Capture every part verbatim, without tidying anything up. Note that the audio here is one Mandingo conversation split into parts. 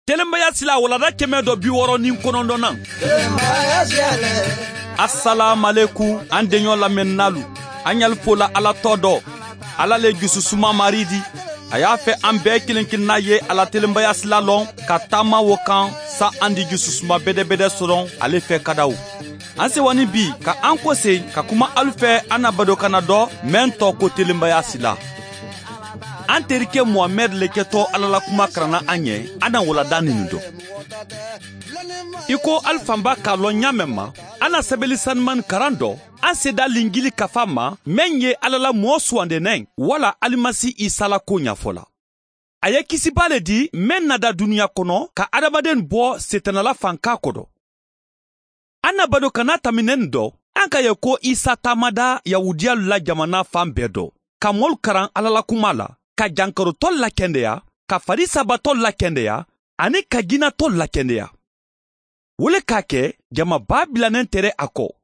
Telenbaya sila walanda kɛmɛ dɔ bi wɔɔrɔ ni kɔnɔntɔnnan. Asalaamualekum, an deɲɔ lamɛnninaalu, an ɲali fola Ala tɔgɔ dɔ. Ala le jususuma Marii di. A y'a fɛ an bɛɛ kelen kelenna ye a la telenbaya sila lɔn, ka taama wo kan, sa an di jususuma bedebede sɔrɔ ale fɛ kadaw. An sewa ni bi ka an kose ka kuma alu fɛ, an na badokanna dɔ, meŋ tɔgɔ ko telenbaya sila. An terike Muhamɛdi le kɛtɔ Ala la kuma karanna an ye, an na walanda ninnu dɔn. I ko alu fanba k'a lɔn ɲaamɛ ma, an na sɛbɛli sanumani karan dɔ, an seda linjili kafa ma, meŋ ye Ala la moo suwandennen wala Alimasi Isa la ko ɲafɔ la. A ye kisibaa le di, meŋ na da duniya kɔnɔ ka adamaden bɔ Setanala fankaa kodo. An na badokanna taminen dɔ, an ka ye ko Isa taamada Yahudiyalu la jamana fan bɛɛ dɔ, ka moolu karan Ala la kuma la, ka jankarotɔlu lakendeya, ka Farisabatɔlu lakendeya, ani ka jinnatɔlu lakendeya. Wo le ka a ke jama baa bilanen tere a ko.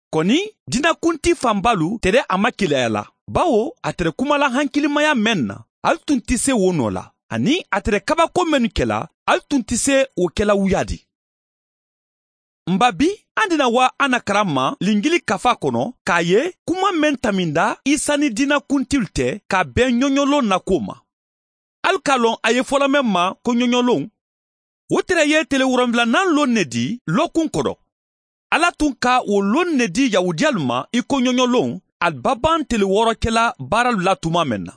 Koni, diinakunti fanbaalu tere a ma kileya la, bawo a tere kumala hankilimaya meŋ na, ali tun ti se wo noo la, aniŋ a tere kabako mennu kela, ali tun ti se wo kela wuyaadi. Mba bi, an dina waa an na karan ma linjili kafa kono, ka a ye kuma meŋ taminda Isa ni diinakuntilu te ka a ben ɲoɲoloŋ na kuwo ma. Ali ka a loŋ a ye fola meŋ ma ko ɲoɲoloŋ, wo tere ye tele woronwulanan loŋ ne di lookun kodo. Alla tun ka wo loŋ ne di yahuudiyalu ma i ko ɲoɲoloŋ, ali babaŋ tele woorokela baaralu la tumaa meŋ na.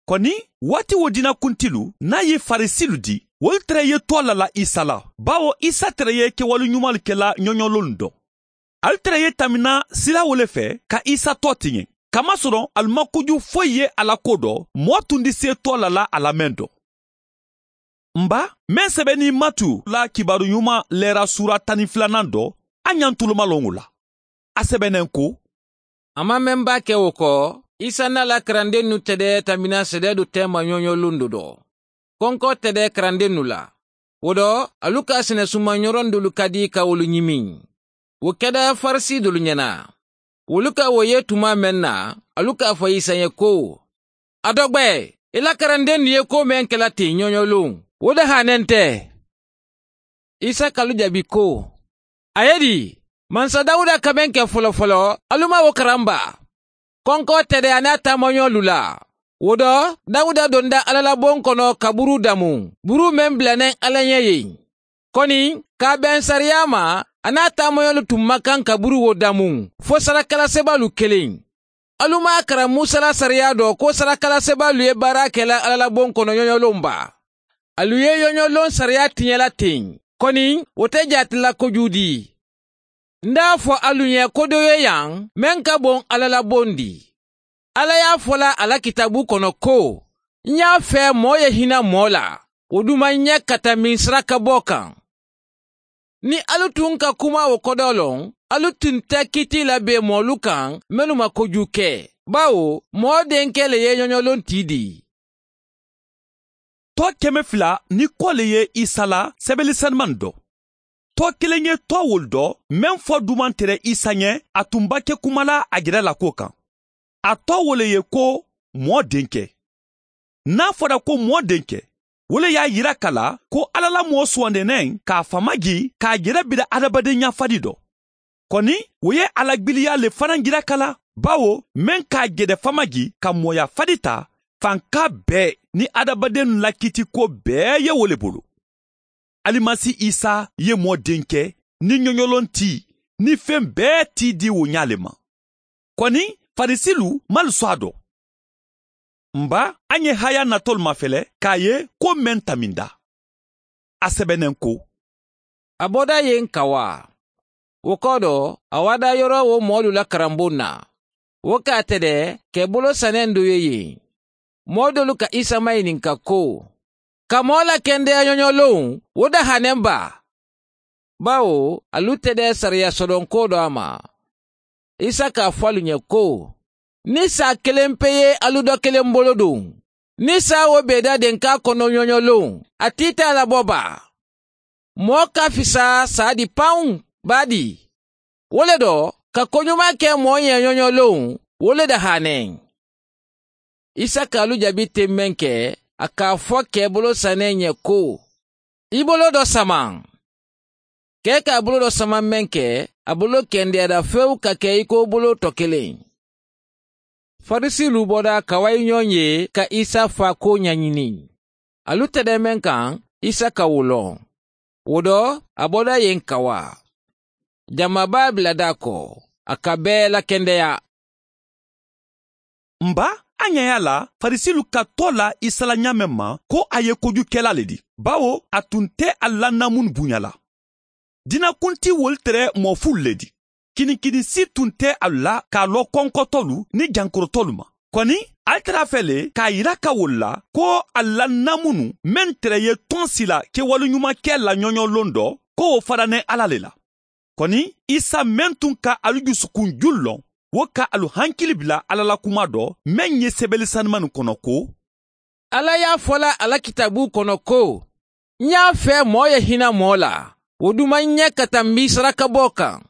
Koni, waati wo diinakuntilu n'a ye farisilu di, wolu tere ye to a la la isa la, bawo isa tere ye kewali ɲumalu kela ɲoɲololu doŋ. Ali tere ye tamina sila wo le fe ka isa to tiɲe, kamasoroŋ ali ma kuju foyi ye a la ko do moo tundi se to a la la a la meŋ doŋ. Mba, meŋ sebenin matu la kibaaru ɲuman leera suura tan ni filanan do, a ɲantulumaloŋo la. A sebenin ko, a ma meŋ ba ke wo ko, isa n'a la karandennu tede tamina sedeedu teema ɲoɲo lundo do. Konko tede karandennu la. Wo do, alu ka sennesumaɲoron dolu kadi ka wolu ɲimiŋ. Wo keda farisi dolu ɲena. Wolu ka wo ye tuma meŋ na, alu ka a fo isa ye ko, a dogbe, i la karandennu ye ko meŋ kela ti ɲoɲoluŋ, wo de hanen te. Isa ka alu jabi ko, a ye di, mansa dawuda ka meŋ ke folofolo, alu ma wo karan ba? Konko tede a ni a taamaɲolu la. Wo do, dawuda donda alla la boŋ kono ka buru damu, buru meŋ bula neŋ alla ɲe ye. Koni, ka a beŋ sariya ma, a ni a taamaɲolu tun ma kaŋ ka buru wo damu, fo sarakala sebaalu keleŋ. Alu maŋ a karan musa la sariya do ko sarakala sebaalu ye baara ke la alla la boŋ kono ɲoɲoloŋ ba? Alu ye ɲoɲoloŋ sariya tiɲe la teŋ, koni, wo te jaati la kojuudi. N da a fo alu ɲe ko do ye yaŋ, meŋ ka boŋ alla la bondi. Alla ye a fo la a la kitaabu kono ko, n ye a fee moo ye hina moo la, wo duma n ye ka tambi n sarakaboo kaŋ. Niŋ alu tun ka kuma wo kodoo loŋ, alu tun te kiiti la bee moolu kaŋ mennu ma koju ke. Bawo moo denke le ye ɲoɲoloŋ tii dii. Too keme fula ni koo le ye isa la sebeli senumani do. Too kiliŋ ye too wolu do, meŋ fo dumantere isa ɲe, a tun ba ke kuma la a jere la kuwo kaŋ. A too wo le ye ko, moo denke. Niŋ a fota ko moo denke, wo le ye a yira ka la ko alla la moo suwandeneŋ ka a fama jii ka a jere bira hadamadenɲa fadi do. Koni, wo ye a la gbiliya le fanaŋ jira ka la, bawo meŋ ka a jede fama jii ka mooya fadi taa, fankaa bee ni hadamadennu la kiitikuwo bee ye wo le bulu. Alimasi isa ye moo denke, niŋ ɲoɲoloŋ tii, niŋ feŋ bee tii dii wo ɲaa le ma. Koni, farisilu malu so a do. Mba, a ɲe haya natolu mafele ka a ye ko meŋ taminda. A sebeneŋ ko, a boda ye n kawa. Wo kodo, a wada yoro wo moolu la karambuŋ na. Wo ka a tede ke bolo saneŋ do ye yen. Moo dolu ka isa mayininka ko, ka moo la kendeya ɲoɲoloŋ, wo dahaneŋ ba? Bawo alu tede sariya sodoŋ ko do a ma. Isa ka a fo alu ɲe ko, niŋ saa keleŋ pe ye alu do keleŋ bolo duŋ, niŋ saa wo be i da denkaa kono ɲoɲoloŋ, a tiita la bo baa. Moo ka fisa saa di pawuŋ baadii. Wo le do, ka koɲumaa ke moo ɲee ɲoɲoloŋ, wo le dahaneŋ. Isa ka alu jabi teŋ meŋ ke, a ka a fo kee bolo saneŋ ɲe ko, I boloo dɔ samaŋ. Kee ka a boloo dɔ samaŋ meŋ ke, a boloo kendeyaata fewu ka ke i ko boloo tɔ keleŋ. Farisilu bota ka wayi ñoŋ ye ka isa faakoo ñañini. Alu tedee meŋ kaŋ, isa ka wo loŋ. Wo to, a bota yeŋ ka waa. Jamaa baa bila daa ko a ka bee lakendeyaa. Mba, a ñayaa la farisilu ka too la isa la ñaameŋ ma ko a ye kojukela le ti, bawo a tun te ali la naamunu buña la. Dina kuntii wolu tere moo fulu le ti. Kinikinisi tun te alu la ka a loo konkotolu niŋ jankorotolu ma. Koni, ali tara a fee le ka a yira ka wolu la ko ali la naamunu meŋ tere ye toŋ sila kewolu ñumankee la ñoñoloŋ do, ko wo fananeŋ alla le la. Koni, isa meŋ tun ka alu jusukun julu loŋ, wo ka alu hankili bila alla la kumaa do meŋ ye sebeeli sanumanu kono ko, alla ye a fo la a la kitaaboo kono ko, ñaa fee moo ye hina moo la, wo duma ñee ka tambi sarakaboo kaŋ.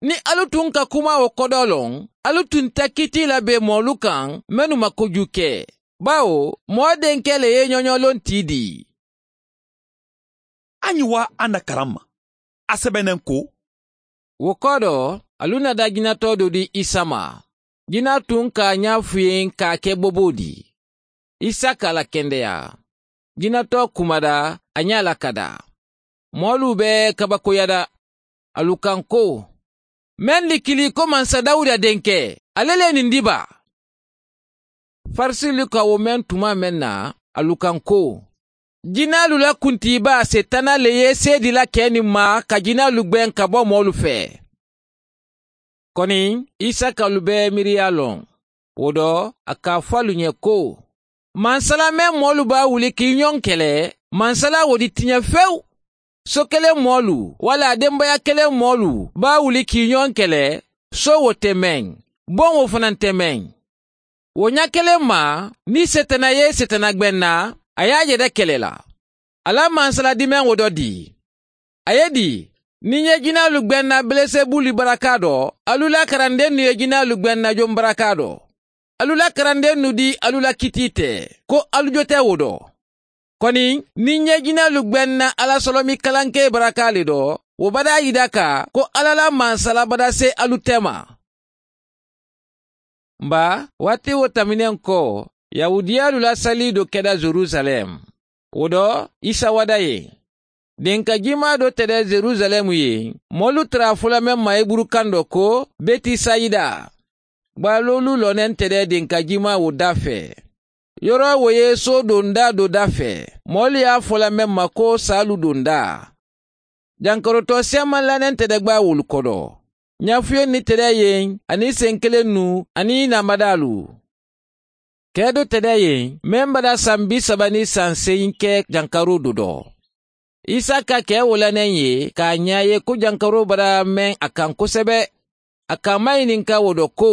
Niŋ alu tun ka kumaa wo kodoo loŋ, alu tun te kitii la bee moolu kaŋ mennu ma kojuu ke. Baawo moo denkee le ye ñoñoloŋ tii dii. A ñiŋ waa a na karaŋ ma a sebeneŋ ko. Wo kodoo, alu na daa jinatoo do di isa ma. Jinaa tun ka a ñaa fuyeŋ ka a ke boboo di. Isa ka a la kendeyaa. Jinatoo kumada a ñaa la ka daa. Moolu be kabakoyada. Alu kaŋ ko, meŋ likili ko mansa dawuda denkee, ale le niŋ di baa. Farisilu ka wo meŋ tuma meŋ na, alu kaŋ ko, jinaalu la kuntiibaa seetana le ye seedi la kee niŋ maa ka jinaalu gbeŋ ka bo moolu fee. Koni, isa ka alu bee miiriyaa loŋ. Wo to, a ka a fo alu ñe ko, mansala meŋ moolu be a wuli ka i ñoŋ kele, mansala wo di ti ñe fewu. Soo keleŋ moolu walla a dembeeyaa keleŋ moolu be a wuli ka i ñoŋ kele. Soo wo te meŋ, boŋ wo fanaa te meŋ. Wo ñaa keleŋ maa, niŋ seetana ye seetana gbeŋ na, a ye a jede kele la. A la mansala dimeŋ wo do dii. A ye dii, niŋ ǹ ye jinaalu gbeŋ na beelesebuli barakaa do, alu la karandennu ye jinaalu gbeŋ na joŋ barakaa do. Alu la karandennu di alu la kitii te, ko alu jote wo do. Koni, niŋ ǹ ye jinaalu gbeŋ na alla solomi kalankee barakaa le do, wo badaa yida ka ko alla la mansala badaa see alu tema. Mba, waati wo taminiŋ ko, yahudiyaalu la salii do keda jerusalem. Wo do, isa wada ye. Dinka jimaa do tede jerusalem ye, moolu tara a fo la meŋ ma heburu kaŋ do ko, betisayida. Baalu luuloo neŋ tede dinka jimaa wo dafee. Yoroo wo ye soo dondaa do dafee, moolu ye a fo la meŋ ma ko saalu dondaa. Jankaroo too seemanla neŋ tede gbaa wolu kodo. Ñaafuyenni tede yeŋ aniŋ senkeleŋ nu aniŋ i namadaalu. Kee do tede yeŋ meŋ bada saŋ bisaba niŋ saŋ seyiŋ ke jankaroo do do. Isa ka kee wo la neŋ ye ka a ñaa ye ko jankaroo bada meŋ a kaŋ kosebe. A ka a mayininka wo do ko,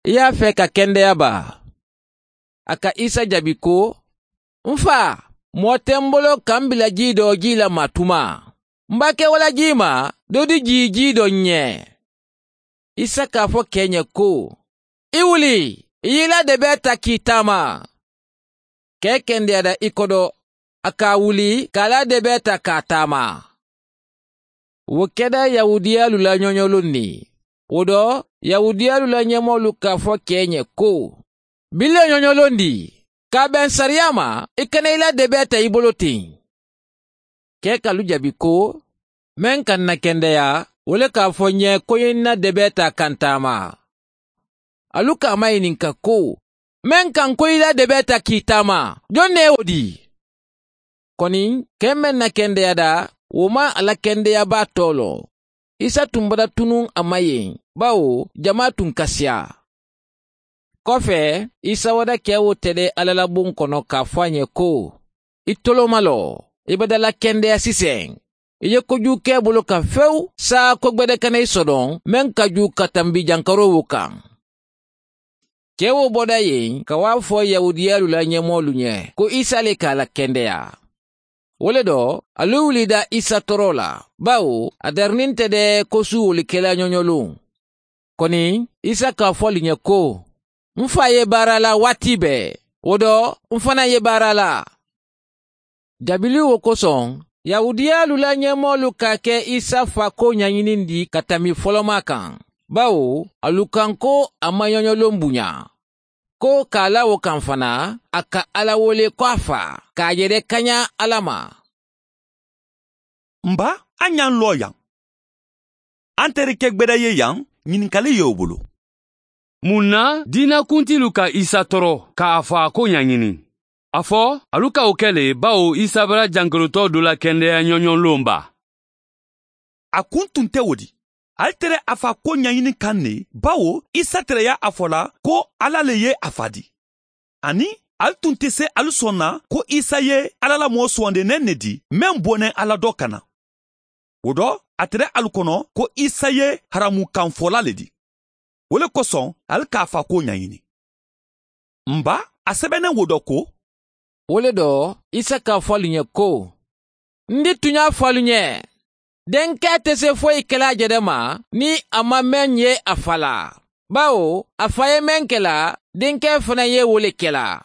i ye a fee ka kendeya baa? A ka isa jabi ko, n faa, moo te m bolo ka m bila jii do jii la maatumaa. M be a ke wo la jiimaa do di jii jii do n ñee. Isa ka a fo kee ñe ko, i wuli, i ye i la debee taa ka i taama. Kee kendeyaata i kodo, a ka a wuli ka a la debee taa ka a taama. Wo keda yahudiyaalu la ñoñoloŋ ne. Wo do, yahudiyaalu la ñemoolu ka a fo kee ñe ko, bili le ñoñoloŋ di, ka a beŋ sariyaa ma i kana i la debee taa i bolo teŋ. Kee ka alu jabi ko, meŋ ka n na kendeyaa, wo le ka a fo n ye ko i ye n na debee taa ka n taama. Alu ka a mayininka ko, meŋ ka n ko i la debee taa ka i taama, joŋ ne ye wo di? Koni, kee meŋ na kendeyaata, wo maŋ a la kendeyaa baa too loŋ. Isa tuŋ bata tunuŋ a ma yeŋ, bawo jamaa tuŋ kasiyaa. Kofee, isa wada kee wo tede alla la buŋ kono ka a fo a ñe ko, i tolooma loo, i bada la kendeyaa siseŋ. I ye kojuu ke i bulu kaŋ fewu, saayaa ko gbede kana i sodoŋ meŋ ka juu ka tambi jankaroo wo kaŋ. Kee wo boda yeŋ ka wo a fo yahudiyaalu la ñemoolu ñe ko isa le ka a la kendeyaa. Wo le do, alu wuli i daa isa toroo la, bawo a dari niŋ te de kosuu wolu ke la ñoñoluŋ. Koni, isa ka a fo ali ñe ko, n faa ye baara la waati bee, wo do, n fanaa ye baara la. Dabili wo kosoŋ, yahudiyaalu la ñeemoolu ka a ke isa faakoo ñañinindi ka tambi folomaa kaŋ, bawo alu kaŋ ko a maŋ ñoñoloŋ buñaa, ko ka a la wo kaŋ fanaa a ka alla wo le ko a faa ka a je de kañaa alla ma. M ba, a ñaŋ loo yaŋ. Antereke gbeda ye yaŋ, ñininkali ye wo bulu. Muŋ na diina kuntiilu ka isa toro ka a fo a ko ñañini? A fo alu ka wo ke le bawo isa bara jankarutoo dula kendeya ñoñonloŋ baa. A kuntunte wo di? Ali tere a fa ko ñañini kaŋ ne, bawo isa tere ye a fo la ko alla le ye a fa di. Aniŋ ali tun te se ali sonna ko isa ye alla la moo suwandi neŋ ne di meŋ bo neŋ alla do ka na. Wo do a tere ali kono ko isa ye haramu kaŋ fola le di. Wo le kosoŋ ali ka a fa ko ñañini. M ba, a sebeneŋ wo do ko, wo le do isa ka a fo ali ñe ko, n di tuñaa fo ali ñe, denke te se foyi ke la a je de ma niŋ a maŋ meŋ ye a fa la. Bawo a fa ye meŋ ke la, denke fanaa ye wo le ke la.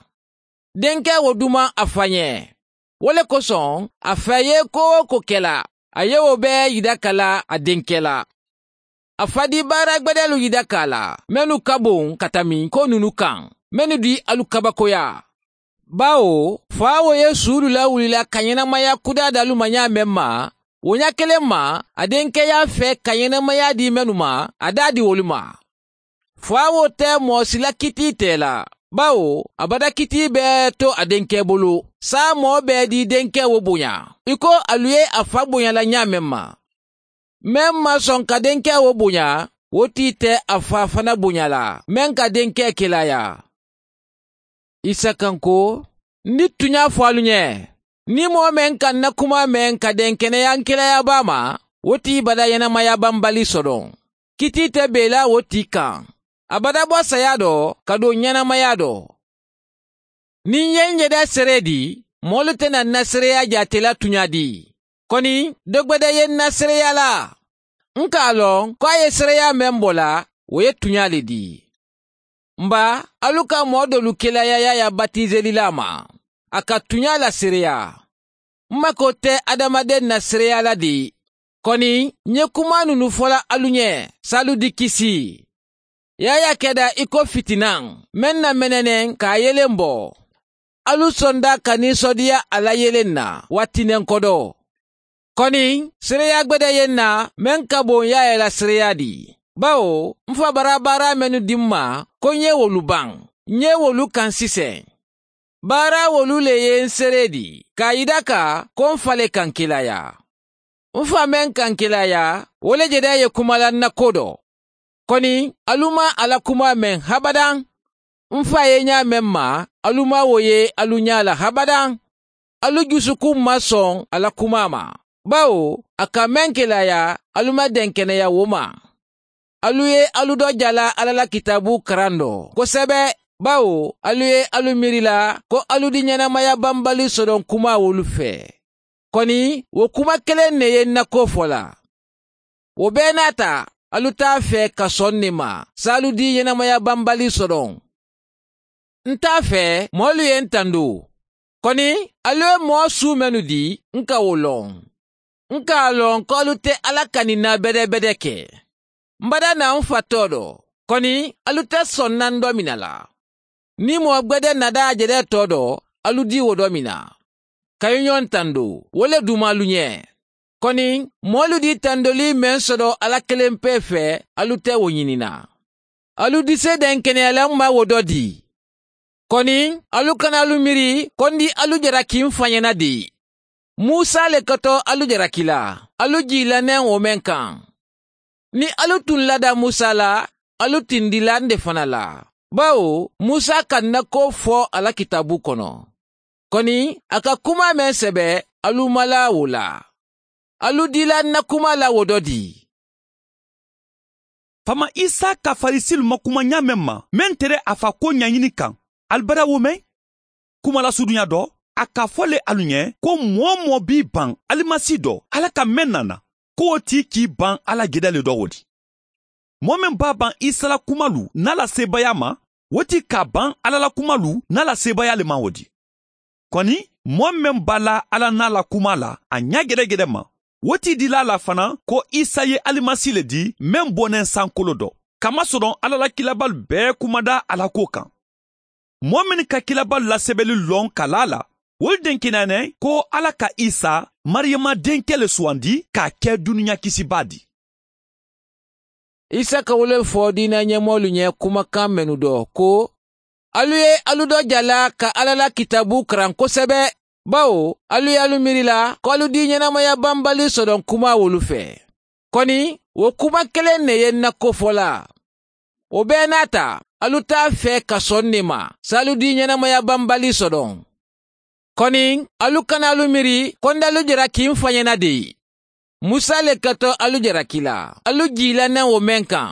Denke wo dumaŋ a fa ñe. Wo le kosoŋ a fa ye ko-wo-ko ke la, a ye wo bee yidaka la a denke la. A fa di baara gbedeelu yidaka a la mennu ka boŋ ka tambi ko ñunu kaŋ, mennu di alu kabakoyaa. Bawo faawo ye suulu lawulila ka ñenamaya kudaa daalu ma ñaa meŋ ma, wo ñaa keleŋ ma a denkeyaa fee ka ñenamaya dii mennu ma, a daa di wolu ma. Faawo te moo si la kitii tee la, bawo a bata kitii bee to a denkee bulu. Saamoo bee di denkee wo boña, i ko alu ye a fa boña la ñaa meŋ ma. Meŋ maŋ soŋ ka denkee wo boña, wo tii te a fa fanaa boña la meŋ ka denkee kelaayaa. Isa kaŋ ko, n di tuñaa fo alu ñe, niŋ moo meŋ ka n na kumaa meŋ ka denkeneyaa n kelaayaa baa ma, wo tii bata ñenamaya bambali sodoŋ. Kitii te bee la wo tii kaŋ. A bata bo sayaa do ka duŋ ñenamayaa do. Niŋ n ye n jede seree di, moolu te na n na sereeyaa jaate la tuñaa di. Koni dogbede ye n na sereeyaa la. N ka a loŋ ko a ye sereeyaa meŋ bo la, wo ye tuñaa le di. M ba, alu ka moo doolu kelaayaa yaayaa batiiselilaa ma, a ka tuñaa la sereeyaa. M makoo te hadamadeŋ na sereeyaa la de. Koni, ǹ ye kumaa mennu fo la alu ñe, saalu di kisi. Yaayaa keda i ko fitinaŋ meŋ na meneneŋ ka a yeleŋ bo. Alu sonda ka ninsodiya a la yeleŋ na waati neŋ kodo. Koni sereeyaa gbede ye n na meŋ ka boŋ yaayaa la sereeyaa di. Bawo m fa bara baara mennu di m ma ko ǹ ye wolu baŋ, ǹ ye wolu kaŋ siseŋ. Baara wolu le ye n seree di ka a yidaka ko m fa le ka n kelaayaa. M fa meŋ ka n kelaayaa, wo le jede ye kuma la n na koo do. Koni alu maŋ a la kumaa meŋ habadaŋ. M fa ye ñaa meŋ ma, alu maŋ wo ye alu ñaa la habadaŋ. Alu jusukuŋ maŋ soŋ a la kumaa ma, bawo a ka meŋ kelaayaa, alu maŋ denkeneyaa wo ma. Alu ye alu do jala alla la kitaabu karandoo kosebe, bawo alu ye alu miiri la ko alu di ñenamaya bambali sodoŋ kumaa wolu fee. Koni wo kuma keleŋ ne ye n na koo fo la. Wo bee naata, alu te a fee ka soŋ ne ma saalu di ñenamaya bambali sodoŋ. N te a fee moolu ye n tandu. Koni alu ye moo suu mennu di, n ka wo loŋ. N ka a loŋ ko alu te alla kaninna bedebede ke. M bada na m fa too do, koni alu te sonna n domiŋ na la. Niŋ moo gbede nada a jede too do, alu di wo domiŋ na ka i ñoŋ tandu, wo le dumaalu ñe. Koni moolu di tandolii meŋ soto alla keleŋ pee fee, alu te wo ñini na. Alu di seedenkeneyaa la m ma wo do di. Koni alu kana alu miiri ko n di alu jaraki m fa ñana di. Musa le koto alu jaraki la, alu jii la neŋ wo meŋ kaŋ. Niŋ alu tuŋ lada musa la, alu tindi la n de fanaa la, bawo musa ka n na koo fo a la kitaabu kono. Koni a ka kumaa meŋ sebe, alu malaa wo la. Alu dila n na kumaa la wo do di. Faama isa ka farisilu ma kuma ñaameŋ ma meŋ tere a fa ko ɲaɲini kaŋ, ali bara wo meŋ? Kuma la suduɲa do, a ka fo le alu ɲe ko moo-wo-moo b'i baŋ alimasi do, alla ka meŋ nana, ko wo ti k'i baŋ alla geda le do wo di. Moo meŋ b'a baŋ isa la kumalu n'a la seebayaa ma, wo ti k'a baŋ alla la kumalu n'a la seebayaa le ma wo di. Kɔni, moo meŋ be a la alla naa la kumaa la a ñaa gedegede ma, wo ti i dila a la fanaa ko isa ye alimasi le di meŋ boneŋ sankolo do. Kamasoroŋ alla la kiilabaalu bee kumada a la kuwo kaŋ. Moo mennu ka kiilabaalu la sebeli loŋ ka laa a la, wolu denkeneyaana ko alla ka isa, mariyama denkee le suwandi ka a ke duniya kisibaa di. Isa ka wo le fo diina ñemoolu ñe kumakaŋ mennu do ko, alu ye alu do jala ka alla la kitaabu karaŋ kosebe, bawo alu ye alu miiri la ko alu dii ñenamaya bambali sodoŋ kumaa wolu fee. Koni, wo kuma keleŋ ne ye ǹ na ko fo la. Wo bee naata, alu taa fee ka soŋ ne ma saalu dii ñenamaya bambali sodoŋ. Koni, alu kana alu miiri ko ǹ da alu jara kiŋ fañena de. Musa le ka to alu jara kila alu jiila naŋ wo meŋ kaŋ.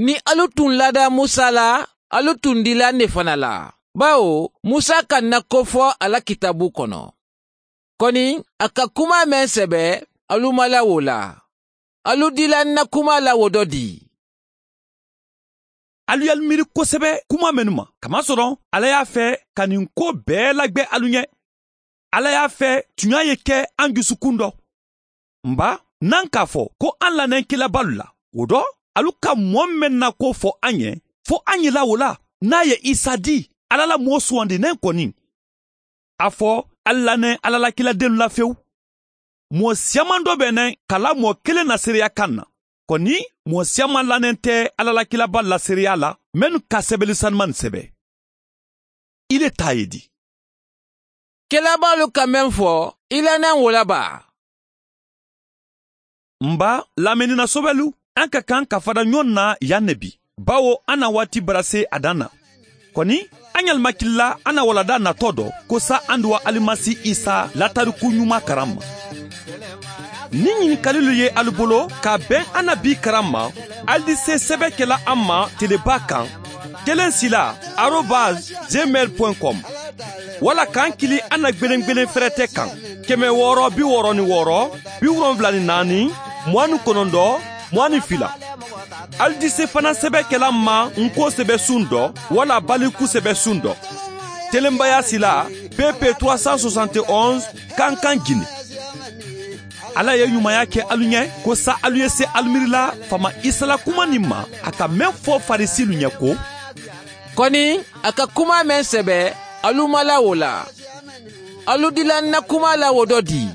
Niŋ alu tuŋ laada musa la, alu tuŋ dilaŋ ne fana la, bawo musa ka ǹ na ko fo a la kitaabu kono. Koni, a ka kumaa meŋ sebe, alu ma la wo la. Alu dila ǹ na kumaa la wo do dii. Alu ye alu miiri kosebe kumaa mennu ma, kamasoroŋ alla ye a fee ka ñiŋ koo bee lagbe alu ñe. Alla ye a fee tuñaa ye ke a n jusukundo. M̀ baa, ǹ na ǹ ka a fo ko a ǹ laneŋ kiilabaalu la, wo do alu ka moo meŋ na ko fo a ñe, fo a ñila wo la, niŋ a ye isa dii, alla la moo suwandi neŋ koni. A fo, alu laneŋ alla la kiiladennu la fewu. Moo siyaman doo be neŋ ka laa moo keleŋ na seereya kaŋ na. Koni, moo siyaman laneŋ te alla la kiilabaalu la seereya la mennu ka sebeli sanumannu sebe. I le taa ye di? Kelabaalu ka meŋ fo, i laneŋ wo la baa? M̀ baa, laamendina sobelu, a ka kaŋ ka fada ñoŋ na yaŋ ne bi, bawo a na waati barase a daŋ na. Koni, a ñalu ma kili la a na waladaa natoo do ko saa a nduwa alimasi isa latarikuu ñumaa karaŋ ma. Niŋ ñinikalilu ye alu bolo ka a beŋ a na bii karaŋ ma, alu di see sebe ke la a ma telebaa kaŋ, keleŋ sila, arobas, gmail point com. Walla ka a kili a na gbelengbelen ferete kaŋ, keme wooro bi wooro ni wooro, bi wolonwula ni naani, muwaŋ ni konondoo, muwaŋ ni fila. Alu di see fanaŋ sebe ke la a ma ǹ ko sebe suŋ do, walla baliku sebe suŋ do. Telenbaya sila, pp trois cent soixante et onze, kankan jini. Alla ye ñumaya ke alu ñe ko saa alu ye see alu miiri la faama isa la kuma niŋ ma, a ka meŋ fo farisiilu ñe ko, koni, a ka kuma meŋ sebe, alu ma la wo la. Alu dila ǹ na kuma la wo do dii.